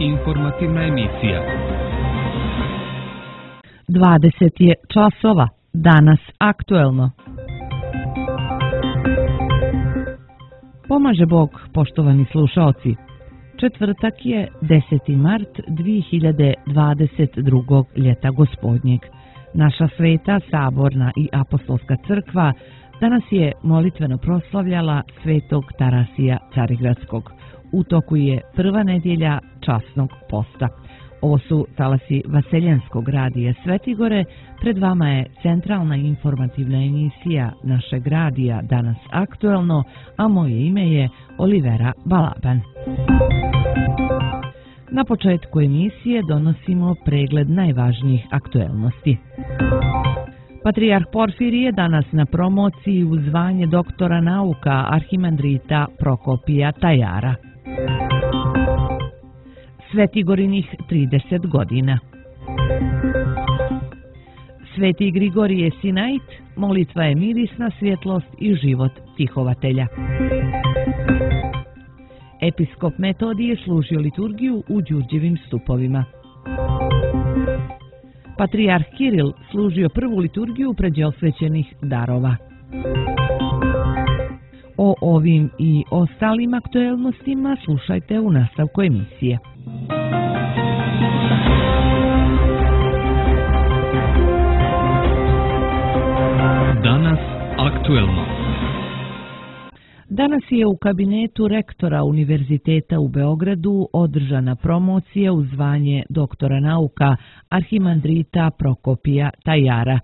Informativna emisija. 20 je časova. Danas aktuelno. Pomaže Bog, poštovani slušaoci. Četvrtak je 10. mart 2022. ljeta gospodnjeg. Naša sveta, saborna i apostolska crkva danas je molitveno proslavljala svetog Tarasija Carigradskog. U toku je prva nedjelja časnog posta. Ovo su talasi Vaseljenskog radija Svetigore. Pred vama je centralna informativna emisija našeg radija Danas aktuelno, a moje ime je Olivera Balaban. Na početku emisije donosimo pregled najvažnijih aktuelnosti. Patrijarh Porfirije danas na promociji u zvanje doktora nauka arhimandrita Prokopija Tajara. Svetigorinih 30 godina. Sveti Grigorije Sinait, molitva je mirisna svjetlost i život tihovatelja. Episkop Metodije služio liturgiju u Đurđevim stupovima. Patrijarh Kiril služio prvu liturgiju pređe osvećenih darova. O ovim i ostalim aktuelnostima slušajte u nastavku emisije. Danas aktuelno. Danas je u kabinetu rektora Univerziteta u Beogradu održana promocija u zvanje doktora nauka arhimandrita Prokopija Tajara.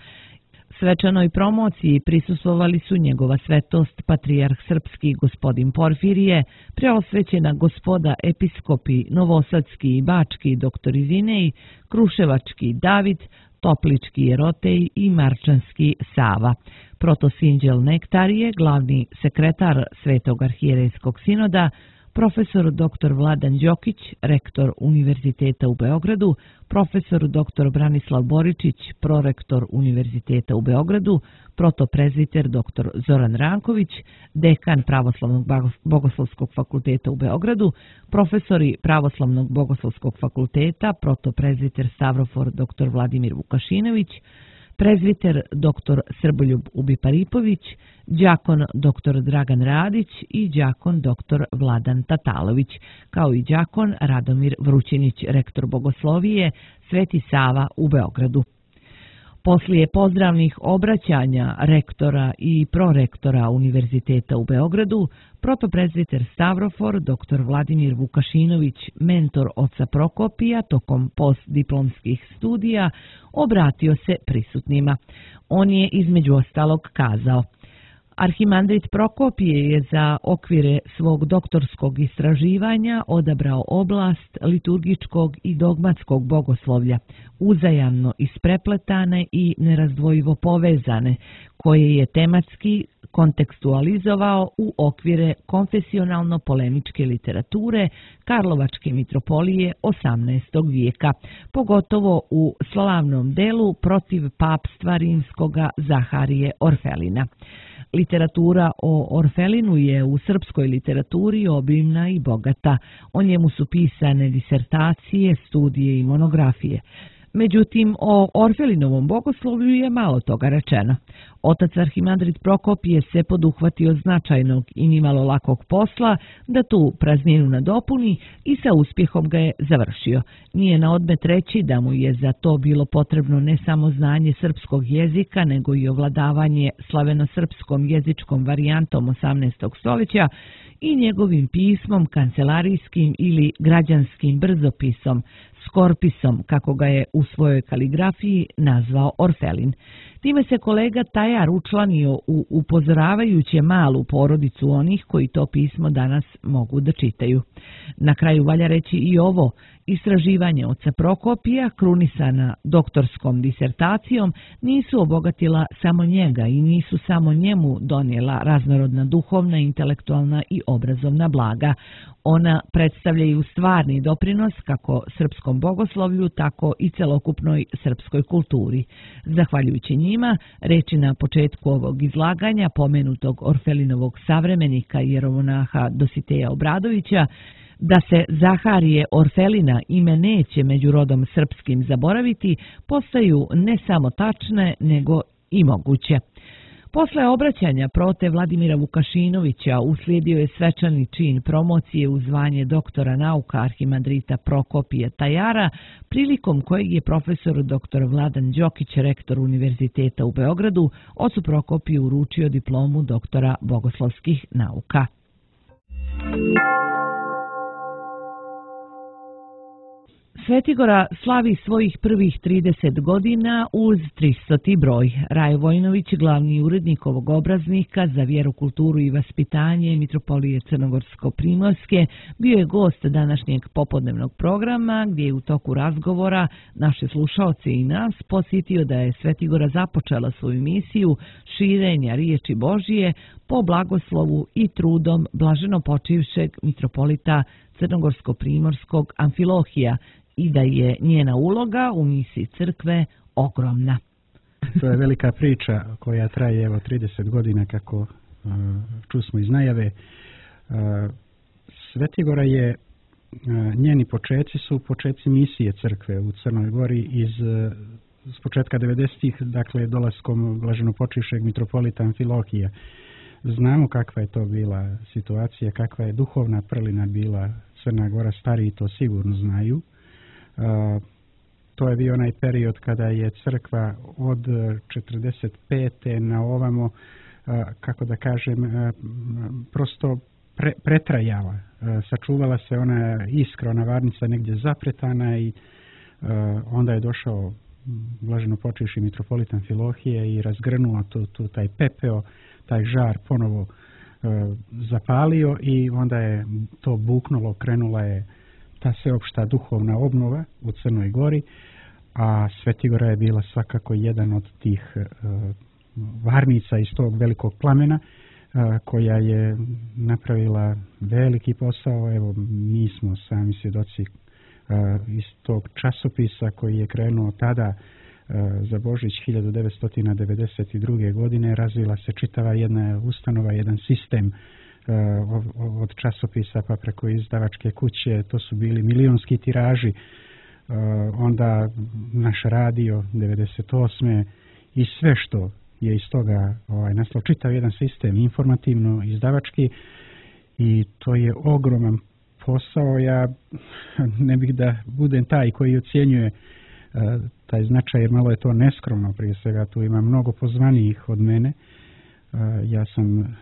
Svečanoj promociji prisustvovali su njegova svetost patrijarh srpski gospodin Porfirije, preosvećena gospoda episkopi Novosadski i Bački doktor Zinej, Kruševački David, Toplički Jerotej i Marčanski Sava. Protosinđel Nektarije, glavni sekretar Svetog arhijerejskog sinoda, profesor dr. Vladan Đokić, rektor Univerziteta u Beogradu, profesor dr. Branislav Boričić, prorektor Univerziteta u Beogradu, protoprezbiter dr. Zoran Ranković, dekan Pravoslavnog bogoslovskog fakulteta u Beogradu, profesori Pravoslavnog bogoslovskog fakulteta, protoprezbiter Stavrofor dr. Vladimir Vukašinović, prezbiter dr. Srboljub Ubiparipović, đakon dr. Dragan Radić i đakon dr. Vladan Tatalović, kao i đakon Radomir Vrućinić, rektor bogoslovije Sveti Sava u Beogradu. Poslije pozdravnih obraćanja rektora i prorektora Univerziteta u Beogradu, protoprezbiter Stavrofor dr. Vladimir Vukašinović, mentor oca Prokopija tokom postdiplomskih studija, obratio se prisutnima. On je između ostalog kazao: Arhimandrit Prokopije je za okvire svog doktorskog istraživanja odabrao oblast liturgičkog i dogmatskog bogoslovlja, uzajamno isprepletane i nerazdvojivo povezane, koje je tematski kontekstualizovao u okvire konfesionalno-polemičke literature Karlovačke mitropolije 18. vijeka, pogotovo u slavnom delu protiv papstva rimskoga Zaharije Orfelina. Literatura o Orfelinu je u srpskoj literaturi obimna i bogata. O njemu su pisane disertacije, studije i monografije. Međutim, o Orfelinovom bogoslovlju je malo toga rečeno. Otac arhimandrit Prokopije se poduhvatio značajnog i nimalo lakog posla da tu prazninu nadopuni i sa uspjehom ga je završio. Nije na odmet reći da mu je za to bilo potrebno ne samo znanje srpskog jezika, nego i ovladavanje slaveno-srpskom jezičkom varijantom 18. stoljeća i njegovim pismom, kancelarijskim ili građanskim brzopisom, skorpisom, kako ga je u svojoj kaligrafiji nazvao Orfelin. Time se kolega Tajar učlanio u upozoravajuće malu porodicu onih koji to pismo danas mogu da čitaju. Na kraju valja reći i ovo: istraživanje oca Prokopija, krunisana doktorskom disertacijom, nisu obogatila samo njega i nisu samo njemu donijela raznorodna duhovna, intelektualna i obrazovna blaga. Ona predstavljaju stvarni doprinos kako srpskom bogoslovlju, tako i celokupnoj srpskoj kulturi. Zahvaljujući njima, reči na početku ovog izlaganja pomenutog Orfelinovog savremenika jeromonaha Dositeja Obradovića, Da se Zaharije Orfelina ime neće među rodom srpskim zaboraviti, postaju ne samo tačne, nego i moguće. Posle obraćanja prote Vladimira Vukašinovića uslijedio je svečani čin promocije u zvanje doktora nauka arhimandrita Prokopija Tajara, prilikom kojeg je profesor dr. Vladan Đokić, rektor Univerziteta u Beogradu, ocu Prokopiju uručio diplomu doktora bogoslovskih nauka. Svetigora slavi svojih prvih 30 godina uz 300. broj. Rajo Vojinović, glavni urednik ovog obraznika za vjeru, kulturu i vaspitanje Mitropolije Crnogorsko-Primorske, bio je gost današnjeg popodnevnog programa, gdje je u toku razgovora naše slušaoce i nas posjetio da je Svetigora započela svoju misiju širenja riječi Božije po blagoslovu i trudom blaženo počivšeg mitropolita Crnogorsko-Primorskog Amfilohija, i da je njena uloga u misiji crkve ogromna. To je velika priča koja traje evo 30 godina, kako čusmo iz najave. Svetigora je, njeni počeci su počeci misije crkve u Crnoj Gori s početka 90-ih, dakle dolaskom blaženopočivšeg mitropolita Amfilohija. Znamo kakva je to bila situacija, kakva je duhovna prlina bila Crna Gora, stariji to sigurno znaju. To je bio onaj period kada je crkva od 45. na ovamo, kako da kažem, prosto pretrajala. Sačuvala se ona iskra, ona varnica negdje zapretana i onda je došao blaženopočivši mitropolit Amfilohije i razgrnuo taj pepeo, taj žar ponovo zapalio i onda je to buknulo, krenula je ta sveopšta duhovna obnova u Crnoj Gori, a Svetigora je bila svakako jedan od tih varnica iz tog velikog plamena koja je napravila veliki posao. Evo, mi smo sami svjedoci iz tog časopisa koji je krenuo tada za Božić 1992. godine. Razvila se čitava jedna ustanova, jedan sistem od časopisa pa preko izdavačke kuće. To su bili milionski tiraži. Onda naš radio 98. i sve što je iz toga nastalo, čitav jedan sistem informativno izdavački, i to je ogroman posao. Ja ne bih da budem taj koji ocjenjuje taj značaj, jer malo je to neskromno. Prije svega tu ima mnogo pozvanijih od mene. Ja sam,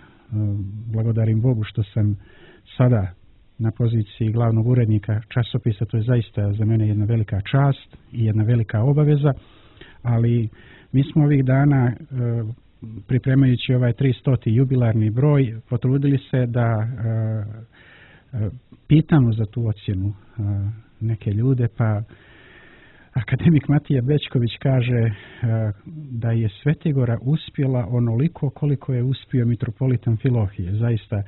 blagodarim Bogu što sam sada na poziciji glavnog urednika časopisa. To je zaista za mene jedna velika čast i jedna velika obaveza, ali mi smo ovih dana, pripremajući ovaj 300. jubilarni broj, potrudili se da pitamo za tu ocjenu neke ljude, pa akademik Matija Bećković kaže da je Svetigora uspjela onoliko koliko je uspio mitropolit Amfilohije. Zaista,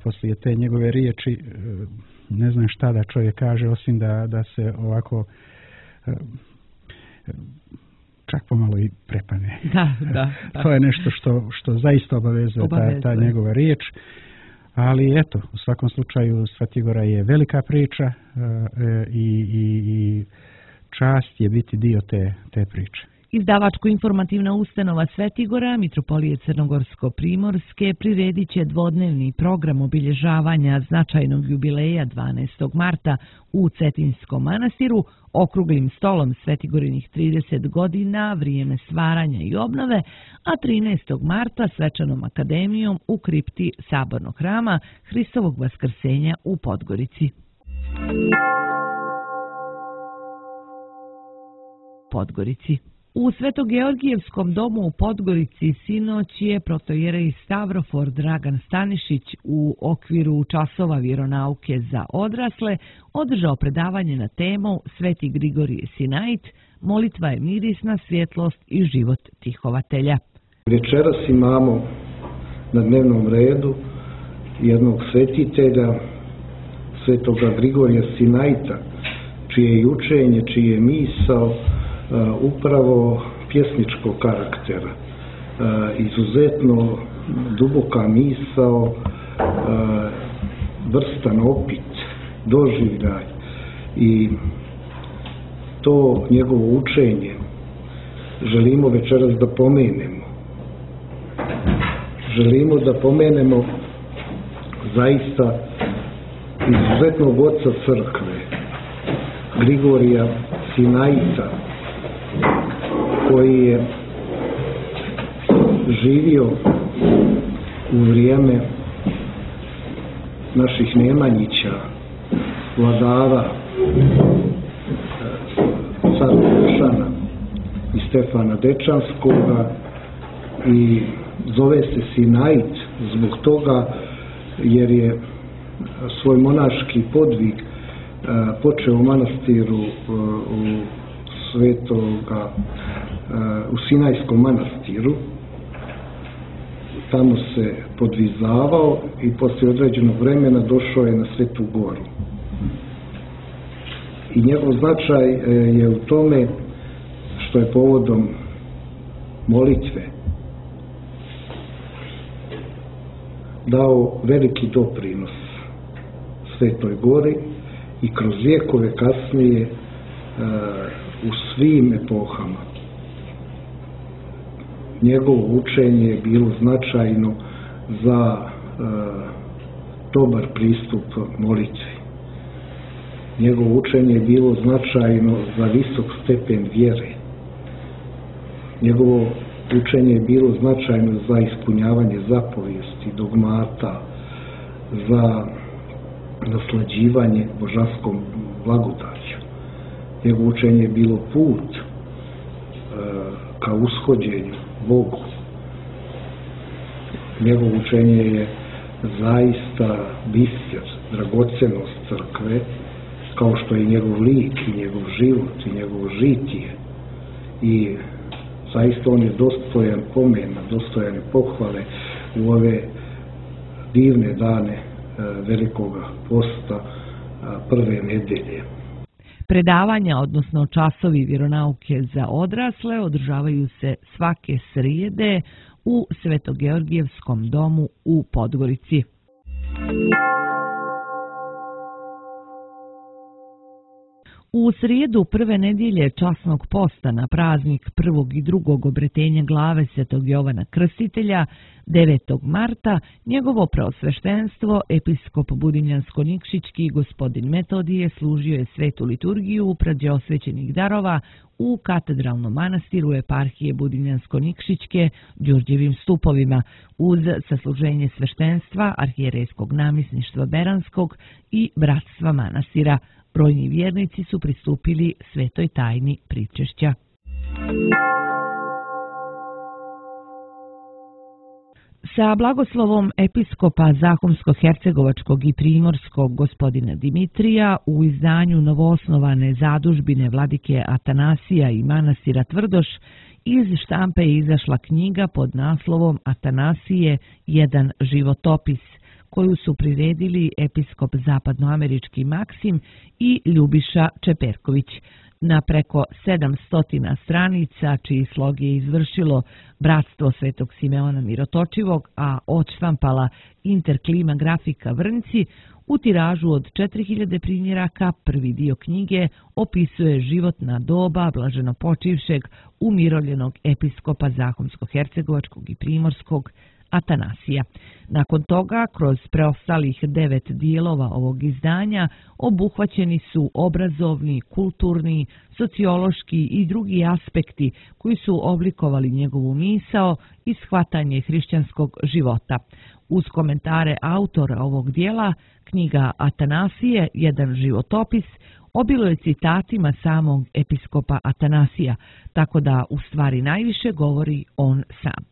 poslije te njegove riječi ne znam šta da čovjek kaže, osim da se ovako čak pomalo i prepane. Da. To je nešto što zaista obavezuje ta njegova riječ. Ali eto, u svakom slučaju Svetigora je velika priča i čast je biti dio te priče. Izdavačko-informativna ustanova Svetigora Mitropolije Crnogorsko-Primorske priredit će dvodnevni program obilježavanja značajnog jubileja 12. marta u Cetinskom manastiru, okruglim stolom Svetigorinih 30 godina, vrijeme stvaranja i obnove, a 13. marta svečanom akademijom u kripti Sabornog hrama Hristovog vaskrsenja u Podgorici. U Svetogeorgijevskom domu u Podgorici sinoć je protojerej Stavrofor Dragan Stanišić u okviru časova vjeronauke za odrasle održao predavanje na temu Sveti Grigorije Sinait, molitva je mirisna svjetlost i život tihovatelja. Večeras imamo na dnevnom redu jednog svetitelja, Svetoga Grigorija Sinaita, čije je učenje, čije je misao upravo pjesničkog karaktera. Izuzetno duboka misao, vrstan opit doživljaj i to njegovo učenje želimo večeras da pomenemo. Želimo da pomenemo zaista izuzetnog oca crkve, Grigorija Sinaita, koji je živio u vrijeme naših Nemanjića, vladara cara Dušana i Stefana Dečanskoga, i zove se Sinait zbog toga jer je svoj monaški podvig počeo u manastiru u Sinajskom manastiru. Tamo se podvizavao i poslije određenog vremena došao je na Svetu Goru. I njegov značaj je u tome što je povodom molitve dao veliki doprinos Svetoj Gori i kroz vijekove kasnije u svim epohama. Njegovo učenje je bilo značajno za dobar pristup molitvi. Njegovo učenje je bilo značajno za visok stepen vjere. Njegovo učenje je bilo značajno za ispunjavanje zapovijesti, dogmata, za naslađivanje božanskom blagodaću. Njegovo učenje je bilo put ka ushođenju Bogu. Njegovo učenje je zaista biser, dragocenost crkve, kao što je njegov lik i njegov život i njegovo žitije. I zaista on je dostojan pomena, dostojan pohvale u ove divne dane Velikoga posta, prve nedelje. Predavanja, odnosno časovi vjeronauke za odrasle, održavaju se svake srijede u Svetogeorgijevskom domu u Podgorici. U srijedu prve nedjelje časnog posta na praznik prvog i drugog obretenja glave Svetog Jovana Krstitelja, 9. marta, njegovo preosveštenstvo, episkop Budinjansko-Nikšićki gospodin Metodije, služio je svetu liturgiju preosvećenih darova u katedralnom manastiru eparhije Budinjansko-Nikšićke Đurđevim stupovima, uz sasluženje sveštenstva arhijerejskog namisništva Beranskog i bratstva manastira. Brojni vjernici su pristupili svetoj tajni pričešća. Sa blagoslovom episkopa Zahumsko-Hercegovačkog i Primorskog gospodina Dimitrija u izdanju novoosnovane zadužbine vladike Atanasija i manastira Tvrdoš iz štampe je izašla knjiga pod naslovom Atanasije, jedan životopis, koju su priredili episkop zapadnoamerički Maksim i Ljubiša Čeperković. Na preko 700 stranica, čiji slog je izvršilo Bratstvo Svetog Simeona Mirotočivog, a odštampala Interklima grafika Vrnci, u tiražu od 4000 primjeraka prvi dio knjige opisuje životna doba blaženopočivšeg umiroljenog episkopa Zahumsko-Hercegovačkog i Primorskog Atanasija. Nakon toga, kroz preostalih 9 dijelova ovog izdanja, obuhvaćeni su obrazovni, kulturni, sociološki i drugi aspekti koji su oblikovali njegovu misao i shvatanje hrišćanskog života. Uz komentare autora ovog dijela, knjiga Atanasije, jedan životopis, obiluje citatima samog episkopa Atanasija, tako da u stvari najviše govori on sam.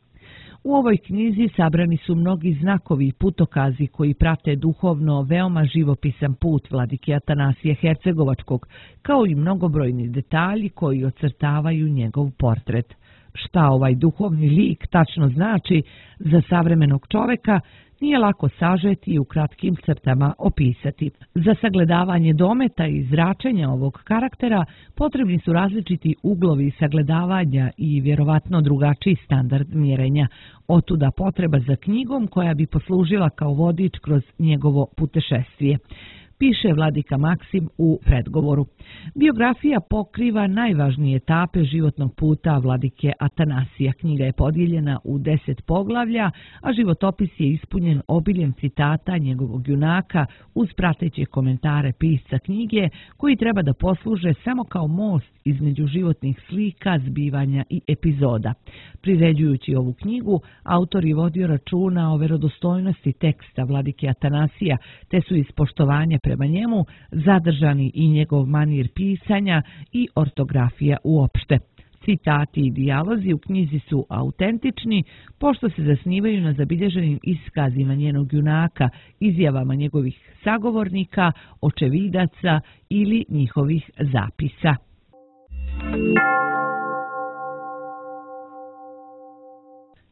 U ovoj knjizi sabrani su mnogi znakovi i putokazi koji prate duhovno veoma živopisan put vladike Atanasija Hercegovačkog, kao i mnogobrojni detalji koji ocrtavaju njegov portret. Šta ovaj duhovni lik tačno znači za savremenog čoveka, nije lako sažeti i u kratkim crtama opisati. Za sagledavanje dometa i zračenja ovog karaktera potrebni su različiti uglovi sagledavanja i vjerovatno drugačiji standard mjerenja. Otuda potreba za knjigom koja bi poslužila kao vodič kroz njegovo putešestvije. piše vladika Maksim u predgovoru. Biografija pokriva najvažnije etape životnog puta vladike Atanasija. Knjiga je podijeljena u 10 poglavlja, a životopis je ispunjen obiljem citata njegovog junaka uz prateće komentare pisca knjige, koji treba da posluže samo kao most između životnih slika, zbivanja i epizoda. Priređujući ovu knjigu, autor je vodio računa o verodostojnosti teksta vladike Atanasija, te su iz poštovanja prema njemu zadržani i njegov manir pisanja i ortografija uopšte. Citati i dijalozi u knjizi su autentični, pošto se zasnivaju na zabilježenim iskazima njenog junaka, izjavama njegovih sagovornika, očevidaca ili njihovih zapisa.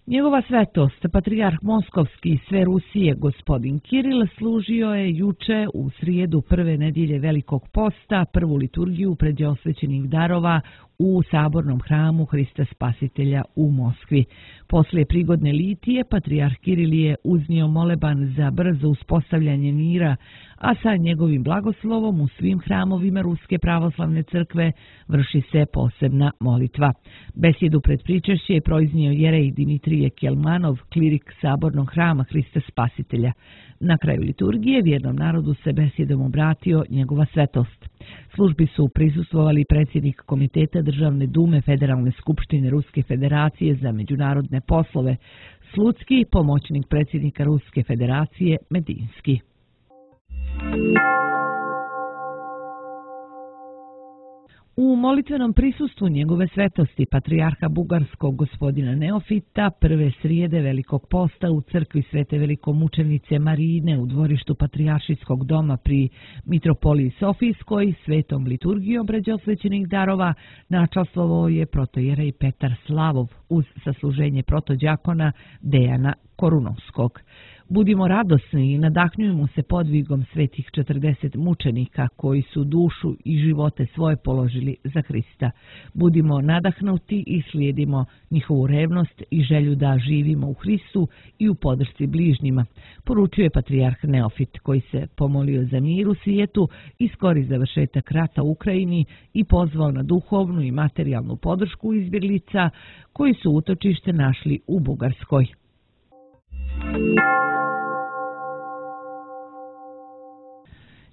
Njegova svetost, patrijarh Moskovski i sve Rusije, gospodin Kiril, služio je juče u srijedu prve nedjelje Velikog posta prvu liturgiju predosvećenih darova u sabornom hramu Hrista Spasitelja u Moskvi. Poslije prigodne litije, patrijarh Kiril je uznio moleban za brzo uspostavljanje mira, a sa njegovim blagoslovom u svim hramovima Ruske pravoslavne crkve vrši se posebna molitva. Besjedu pred pričešće je proiznio jerej Dimitrije Kelmanov, klirik sabornog hrama Hrista Spasitelja. Na kraju liturgije vjernom narodu se besjedom obratio njegova svetost. Službi su prisustvovali predsjednik Komiteta Državne dume Federalne skupštine Ruske federacije za međunarodne poslove, Slutski, pomoćnik predsjednika Ruske federacije Medinski. U molitvenom prisustvu njegove svetosti patrijarha bugarskog gospodina Neofita prve srijede Velikog posta u crkvi Svete velikomučenice Marine u dvorištu patrijaršijskog doma pri Mitropoliji Sofijskoj svetom liturgijom predosvećenih darova načastvovao je protojerej Petar Slavov uz sasluženje protođakona Dejana Korunovskog. Budimo radosni i nadahnjujemo se podvigom svetih 40 mučenika koji su dušu i živote svoje položili za Hrista. Budimo nadahnuti i slijedimo njihovu revnost i želju da živimo u Hristu i u podršci bližnjima, poručuje patrijarh Neofit, koji se pomolio za mir u svijetu i skori završetak rata u Ukrajini i pozvao na duhovnu i materijalnu podršku izbjeglica koji su utočište našli u Bugarskoj.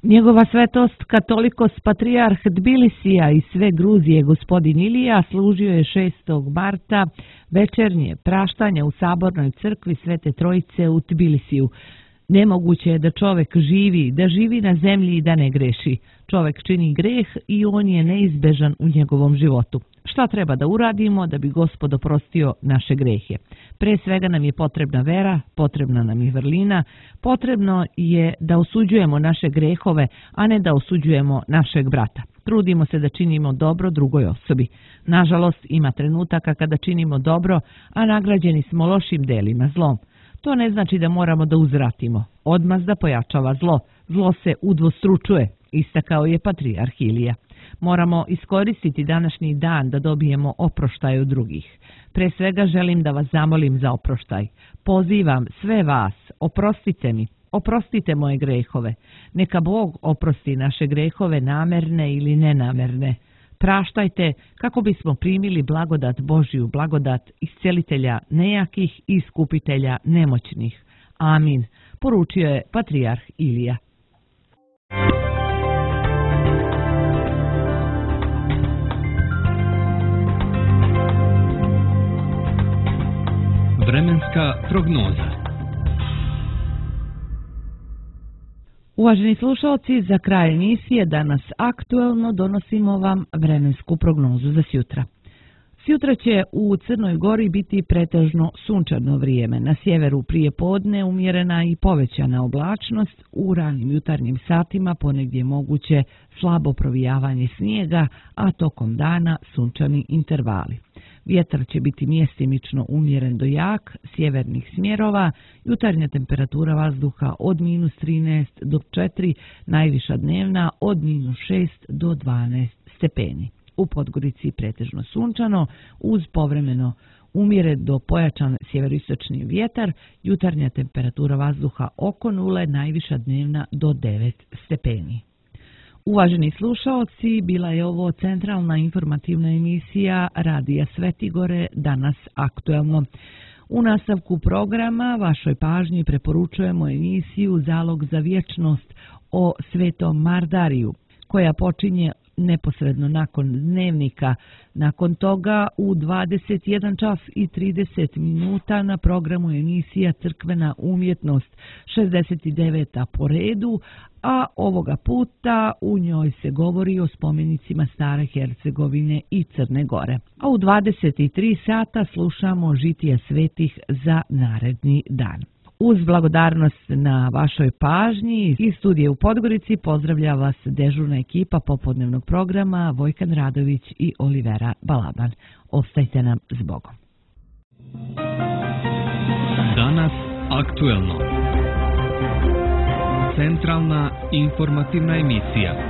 Njegova svetost katolikos patrijarh Tbilisija i sve Gruzije gospodin Ilija služio je 6. marta večernje praštanje u sabornoj crkvi Svete Trojice u Tbilisiju. Nemoguće je da čovjek živi na zemlji i da ne greši. Čovjek čini greh i on je neizbežan u njegovom životu. Šta treba da uradimo da bi Gospod oprostio naše grehe? Pre svega nam je potrebna vera, potrebna nam je vrlina, potrebno je da osuđujemo naše grehove, a ne da osuđujemo našeg brata. Trudimo se da činimo dobro drugoj osobi. Nažalost, ima trenutaka kada činimo dobro, a nagrađeni smo lošim delima, zlom. To ne znači da moramo da uzvratimo. Odmazda pojačava zlo. Zlo se udvostručuje, istakao je patrijarh Ilija. Moramo iskoristiti današnji dan da dobijemo oproštaj od drugih. Pre svega želim da vas zamolim za oproštaj. Pozivam sve vas, oprostite mi, oprostite moje grehove. Neka Bog oprosti naše grehove namerne ili nenamerne. Praštajte kako bismo primili blagodat Božju, blagodat iscelitelja nejakih i iskupitelja nemoćnih. Amin, poručio je patrijarh Ilija. Vremenska prognoza. Uvaženi slušalci, za kraj emisije danas aktuelno donosimo vam vremensku prognozu za sjutra. Sjutra će u Crnoj Gori biti pretežno sunčano vrijeme. Na sjeveru prije podne umjerena i povećana oblačnost, u ranim jutarnjim satima ponegdje moguće slabo provijavanje snijega, a tokom dana sunčani intervali. Vjetar će biti mjestimično umjeren do jak, sjevernih smjerova, jutarnja temperatura vazduha od -13 do 4, najviša dnevna od -6 do 12 stepeni. U Podgorici pretežno sunčano uz povremeno Umire do pojačan sjeveroistočni vjetar, jutarnja temperatura vazduha oko 0, najviša dnevna do 9 stepeni. Uvaženi slušaoci, bila je ovo centralna informativna emisija Radija Svetigore, danas aktuelno. U nastavku programa vašoj pažnji preporučujemo emisiju Zalog za vječnost o Svetom Mardariju, koja počinje neposredno nakon dnevnika. Nakon toga u 21 čas i 30 minuta na programu emisija Crkvena umjetnost 69. po redu, a ovoga puta u njoj se govori o spomenicima Stare Hercegovine i Crne Gore. A u 23 sata slušamo žitija svetih za naredni dan. Uz blagodarnost na vašoj pažnji iz studije u Podgorici pozdravlja vas dežurna ekipa popodnevnog programa Vojkan Radović i Olivera Balaban. Ostajte nam s Bogom. Danas aktuelno. Centralna informativna emisija.